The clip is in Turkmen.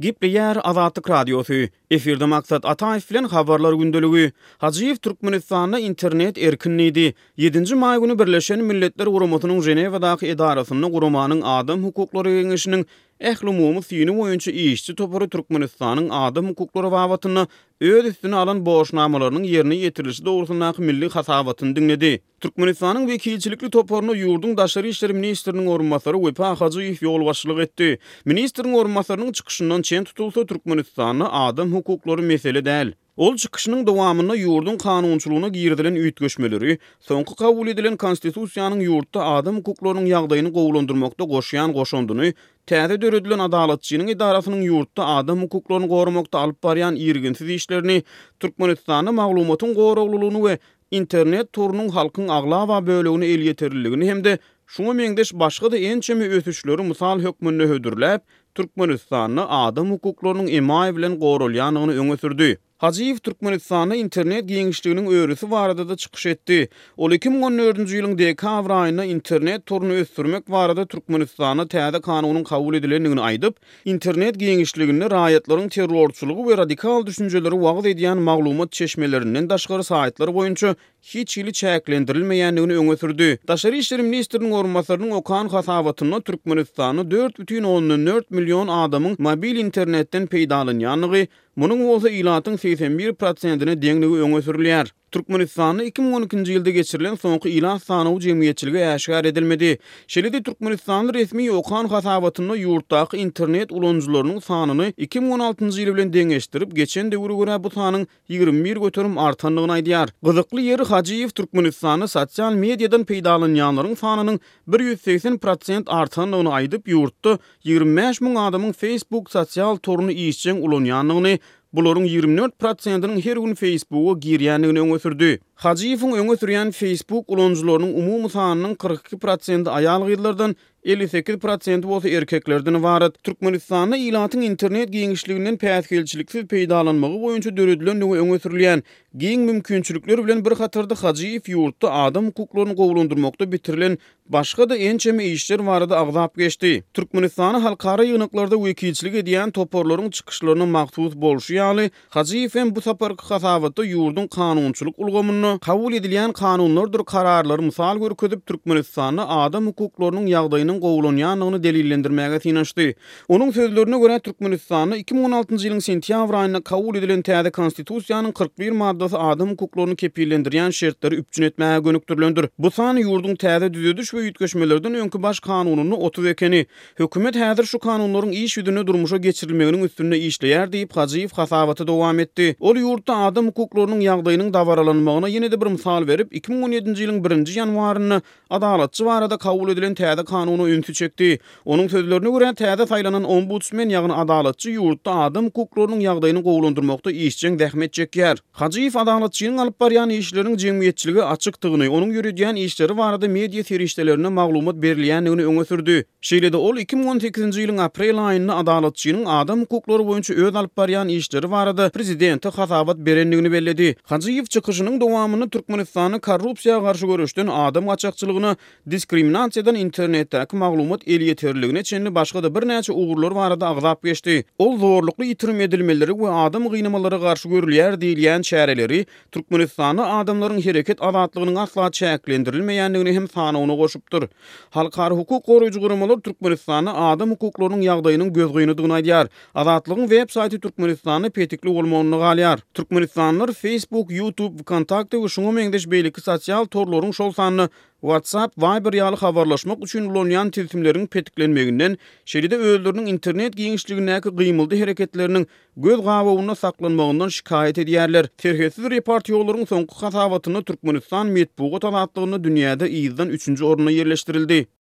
Gepleýär Azatlyk Radiosy. Efirde Maksat Ataýew bilen Habarlar gündeligi. Hajyýew Türkmenistanda internet erkin diýdi. Ýedinji maý güni Birleşen Milletler Guramasynyň Ženewadaky edarasynda guramanyň Adam hukuklary geňeşiniň ählumumy syny boýunça işçi topary Türkmenistanyň adam hukuklary babatynda öz üstüne alan borçnamalarynyň ýerine ýetirilişi dogrusyndaky milli hasabatyny diňledi. Türkmenistanyň wekilçilikli toparyna ýurduň daşary işler ministriniň orunbasary Wepa Hajyýew ýolbaşçylyk etdi. Ministriň orunbasarynyň çykyşyndan çen tutulsa, Türkmenistanda adam hukuklary mesele däl. Ol çykyşynyň dowamynda ýurduň kanunçylygyna girizilen üýtgeşmeleri, soňky kabul edilen Konstitusiýanyň ýurtda adam hukuklarynyň ýagdaýyny gowulandyrmakda goşýan goşandyny, täze döredilen Adalatçynyň edarasynyň ýurtda adam hukuklaryny goramakda alyp barýan irginsiz işlerini, Türkmenistanda maglumatyň goraglylygyny we internet torunyň halkyň aglaba bölegine elýeterliligini hem-de şuňa meňzeş başga-da ençeme ösüşleri mysal hökmünde hödürläp, Türkmenistanda adam hukuklarynyň emaý bilen goralýandygyny öňe sürdi. Hajyýew Türkmenistanda internet giňişliginiň örüsi barada-da çykyş etdi. Ol 2014-nji ýylyň dekabr aýynda internet toruny ösdürmek barada Türkmenistanda täze kanunyň kabul edilendigini aýdyp, Internet giňişliginde raýatlaryň terrorçylygy we radikal düşünjeleri wagyz edýän maglumat çeşmelerinden daşgary saýtlar boýunça hiç hili çäklendirilmeýändigini öňe sürdi. Daşary işler ministriniň orunbasarynyň okan hasabatynda Türkmenistanda 4,4 million adamyň mobil internetden peýdalanýandygy, munuň bolsa ilatyň 81 prosentine deňligi öňe sürülýär. Türkmenistanda 2012-nji ýylda geçirilen soňky ilat sanawy jemgyýetçilige äşgär edilmedi. Şeýle-de türkmenistanly resmi okan hasabatynda ýurtdaky internet ulanyjylarynyň sanyny 2016-njy ýyl bilen deňeşdirip, geçen döwre görä bu sanyň 21% artandygyny aýdýar. Gyzykly ýeri, Hajyýew Türkmenistanda sosial mediadan peýdalanýanlaryň sanynyň 180 prosent artandygyny aýdyp, ýurtda 25 müň adamyň Facebook sosial toruny işjeň ulanýandygyny, Bularyň 24 prosentiniň her gün Facebooka girýändigini öňe sürdi. Hajyýewiň öňe sürýän Facebook ulanyjylarynyň umumy sanynyň 42 prosenti aýal-gyzlardan, 58 prosenti bolsa erkeklerden ybarat. Türkmenistanda ilatyň internet giňişliginden päsgelçiliksiz peýdalanmagy boýunça döredilendigi öňe sürülýän giň mümkinçilikler bilen bir hatarda Hajyýew ýurtda adam hukuklaryny gowulandyrmakda bitirilen Başga-da ençeme işler barada agzap geçdi. Türkmenistana halkara ýygnaklarda wekilçilik edýän toparlaryň çykyşlaryna mahsus bolşy ýaly, Hajyýew hem bu saparky hasabatda ýurduň kanunçylyk ulgamynda kabul edilýän kanunlardyr kararlary mysal görkezip, Türkmenistanda adam hukuklarynyň ýagdaýynyň gowulanýandygyny delillendirmäge synanyşdy. Onuň sözlerine görä, Türkmenistanda 2016-njy ýylyň sentýabr aýynda kabul edilen täze Konstitusiýanyň 41 maddasy adam hukuklaryny kepillendirýän şertleri üpjün etmäge gönükdirilendir. Bu san ýurduň täze düzediş we üýtgeşmelerden öňki Baş kanunynda 30 ekeni. Hökümet häzir şu kanunlaryň iş ýüzünde durmuşa geçirilmeginiň üstünde işleýär diýip, Hajyýew hasabaty dowam etdi. Ol ýurtda adam hukuklarynyň ýagdaýynyň dabaralanmagyna ýene-de bir mysal berip, 2017-nji ýylyň birinji ýanwarynda Adalatçy barada kabul edilen täze kanuna ünsi çekdi. Onuň sözlerine görä, täze saýlanan ombudsmen, ýagny Adalatçy ýurtda adam hukuklarynyň ýagdaýyny gowulandyrmakda işjeň zähmet çekýär. Hajyýew Adalatçynyň alyp barýan işleriniň jemgyýetçilige açykdygyny, onuň ýöredýän işleri barada media serişdelerinde maglumat berilýändigini öňe sürdi. Şeýle-de ol 2018-nji ýylyň aprel aýynda Adalatçynyň adam hukuklary boýunça öz alyp barýan işleri barada prezidente hasabat berendigini belledi. Hajyýew çykyşynyň dowamynda Türkmenistanda korrupsiýa garşy göreşden adam gaçakçylygyna, diskriminasiýadan internetdäki maglumat elýeterliligine çenli başga-da birnäçe ugurlar barada agzap geçdi. Ol zorlukly ýitirim edilmeleri we adam gynamalara garşy görülýär diýilýän çäreleri Türkmenistanda adamlaryň hereket azatlygynyň asla çäklendirilmeýändigini hem sanawyna goşupdyr. Halkara hukuk goraýjy guramalar Türkmenistanda adam hukuklarynyň ýagdaýynyň gözgynydygyny aýdýar. Azatlygyň web saýty Türkmenistanda petikli bolmagynda galýar. Türkmenistanlylar Facebook, YouTube, Vkontakte we şuňa meňzeş beýleki sosial torlaryň şol sanda WhatsApp, Viber ýaly habarlaşmak üçin ulanýan tilsimleriň petiklenmeginden, şeýle-de özleriniň internet giňişligindäki gymyldy-hereketleriniň göz gabawynda saklanmagyndan şikaýat edýärler. Serhetsiz reportýorlaryň soňky hasabatynda Türkmenistan metbugat azatlygynda dünýäde yzdan üçünji orunda ýerleşdirildi.